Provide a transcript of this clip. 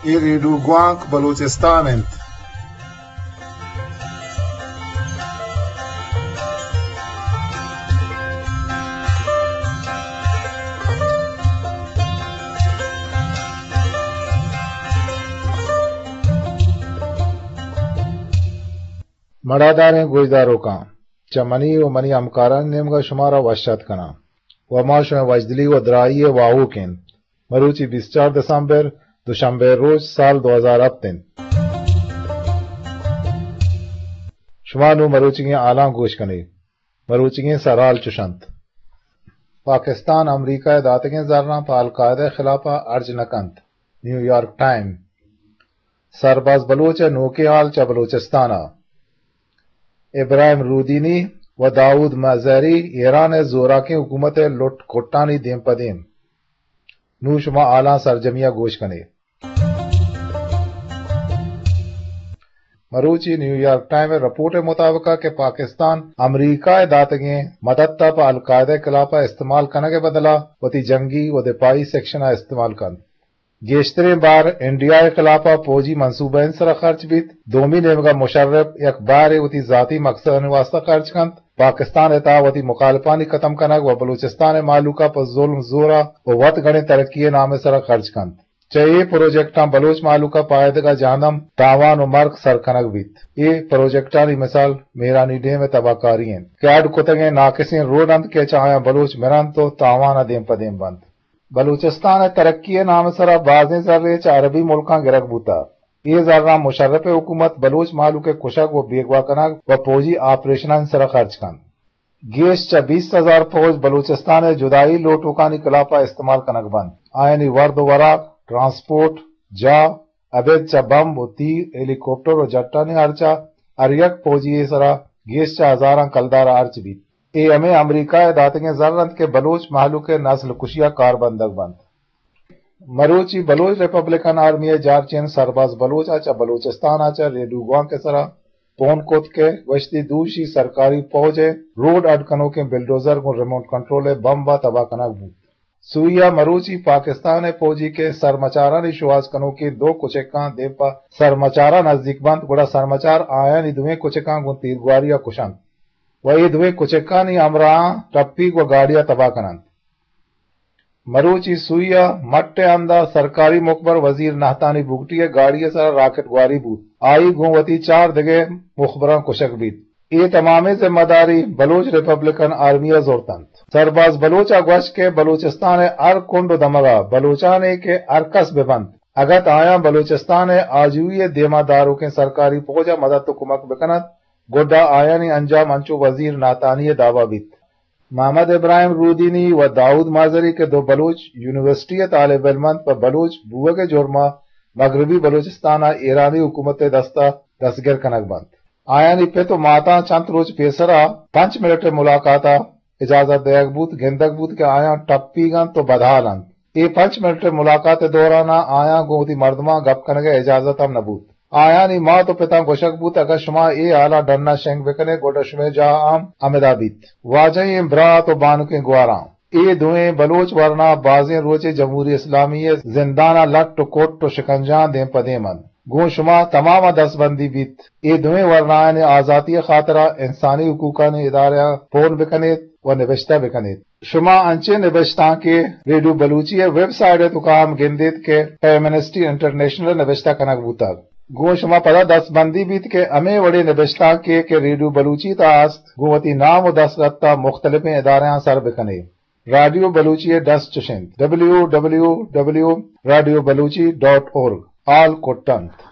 اے ریڈیو گوانک بلوچستان انت۔ مڑاداریں گوشداروکاں، چہ منی و منی ہمکارانی نیمگا شمارا وش آتک کناں و ما شمئے وشدلی و دراہی ء واہوک ایں۔ مروچی بیست چار دسمبر، دوشنبے روچ، سال دو ہزار ہپت انت۔ شما نوں مروچیگیں حالاں گوش کنے۔ مروچیگیں سرحال چش انت۔ پاکستان امریکہ ء داتگیں زراں پہ القاعدہ ء خلاف ء ارج نہ کنت۔ نیویارک ٹائم۔ سرباز بلوچ ء نوکیں حال چہ بلوچستان ء۔ ابراہیم رودینی و داؤد مزہری ایران ء زوراکیں حکومت ء لٹ کٹانی دیم پہ دیم۔ نوں شما حالاں سرجمی ء گوش کنے۔ مروچی نیویارک ٹائم ء رپورٹ ء مطابق ء کہ پاکستان امریکہ ء داتگیں مدد ء پہ القاعدہ ء خلاف ء استعمال کنگ ء بدلا وتی جنگی و دفاعی سیکشن ء استعمال کنت۔ گیشتریں بار انڈیا ء خلاف ء فوجی منصوبہ ء سرا خرچ بیت۔ دومی نیمگ ء مشرف یک بارے وتی ذاتی مقصدانی واسطہ خرچ کنت۔ پاکستان ء تہا وتی مخالفانی ختم کنگ و بلوچستان ء مہلوک ء پہ ظلم زور ء و وت گڑیں ترقی ء نام ء سرا خرچ کنت۔ چہ اے پروجیکٹاں بلوچ مہلوک ء پائدگ ء جہندم تاوان و مرگ سر کنگ بیت۔ اے پروجیکٹانی مثال مہرانی ڈیم ء تباہ کاری انت کہ اڈ کتگیں ناکسیں روڈ انت کہ چہ آیاں بلوچ مرنت و تاوان ء دیم پہ دیم بنت۔ بلوچستان ء ترقی ء نام ء سرا بازیں زرے چہ عربی ملکاں گرگ بوتگ۔ اے زراں مشرف ء حکومت بلوچ مہلوک ء کشگ و بیگواہ کنگ و فوجی آپریشنانی سرا خرچ کنت۔ گیش چہ بیست ہزار فوج بلوچستان ء جدائی لوٹوکانی خلاف ء استعمال کنگ بنت۔ آیانی ورد و وراک، ٹرانسپورٹ، جاہ، ابید چہ بمب و تیر، ہیلی کاپٹر و جٹانی ہرچ ء ہر یک فوجی ء سرا گیش چہ ہزاراں کلدار ء ہرچ بیت۔ اے ہمے امریکہ ء داتگیں زر انت کہ بلوچ مہلوک ء نسل کشی ء کار بندگ بنت۔ مروچی بلوچ ریپبلکن آرمی ء جارچین سرباز بلوچ ء چہ بلوچستان ء چہ ریڈیو گوانک ء سرا پون کت کہ گوشتی دوشی سرکاری پوج ء روڈ اڈ کنوکیں بلڈوزر گوں ریموٹ کنٹرول ء بمب ء تباہ کنگ بوت۔ سوئی ء مروچی پاکستان ء پوجی کہ سرمچارانی شوہاز کنوکیں دو کچکاں دیم پہ سرمچاراں نزیک بنت، گڑا سرمچار آیانی دوئیں کچکاں گوں تیرگواری ء کشنت و اے دوئیں کچکانی ہمراہاں ٹپیگ و گاڑی ء تباہ کننت۔ مروچی سوئی ء مٹ ء ہند ء سرکاری مخبر وزیر نہتانی بگٹی ء گاڑی ء سرا راکٹ گواری بوت۔ آئی گوں وتی چار دگہ مخبراں کشگ بیت۔ اے تمامیں ذمہ داری بلوچ ریپبلکن آرمی ء زرت انت۔ سرباز بلوچ ء گوشت کہ بلوچستان ء ہر کنڈ و دمگ ء بلوچانے کہ ہر کس بہ بنت، اگت آیاں بلوچستان ء آجوئی ء دیما داروکیں سرکاری پوج ء مدد و کمک بکنت، گڈا آیانی انجام انچو وزیر نہتانی ء دعوی بیت۔ محمد ابراہیم رودینی و داؤد مازری کہ دو بلوچ یونیورسٹی ء طالب علم انت، پہ بلوچ بوگ ء جرم ء مغربی بلوچستان ء ایرانی حکومت ء دست ء دستگر کنگ بنت۔ آیانی پت و ماتاں چنت روچ پیسر ء پنچ منٹ ء ملاقات ء اجازت دئیگ بوت، گندگ بوت کہ آیاں ٹپیگ انت و بدحال انت۔ اے پنچ منٹ ء ملاقات ء دوران ء آیاں گوں وتی مردماں گپ کنگ ء اجازت ہم نہ بوت۔ آیانی مات و پتاں گوشگ بوت، اگاں شما اے حالاں ڈن ء شنگ بہ کن ئے، گڈا شمئے جاہ ہم ہمدا بیت۔ واجہیں برات و بانکیں گواراں، اے دوئیں بلوچ ورنا بازیں روچے جمہوری اسلامی ء زندان ء لٹ و کٹ و شکنجہاں دیم پہ دیم انت۔ گوں شما تمام ء دستبندی بیت، اے دوئیں ورنایانی آزاتی ء خاطرا انسانی حقوقانی ادارہاں پون بہ کن ایت و نبشتہ بہ کن ایت۔ شما انچیں نبشتانکے ریڈیو بلوچی ء ویب سائٹ ء توکا ہم گندیت کہ ایمنسٹی انٹرنیشنل ء نبشتہ کنگ بوتگ۔ گوں شما پدا دستبندی بیت کہ ہمے وڑیں نبشتانکے کہ ریڈیو بلوچی تہا است، گوں وتی نام و دستخط ء مختلفیں ادارہاں سر بہ کن ئے۔ رادیو بلوچی ء ڈس چش انت، ڈبلیو ڈبلیو ڈبلیو ریڈیو بلوچی ڈاٹ اورگ۔ حال کٹ انت۔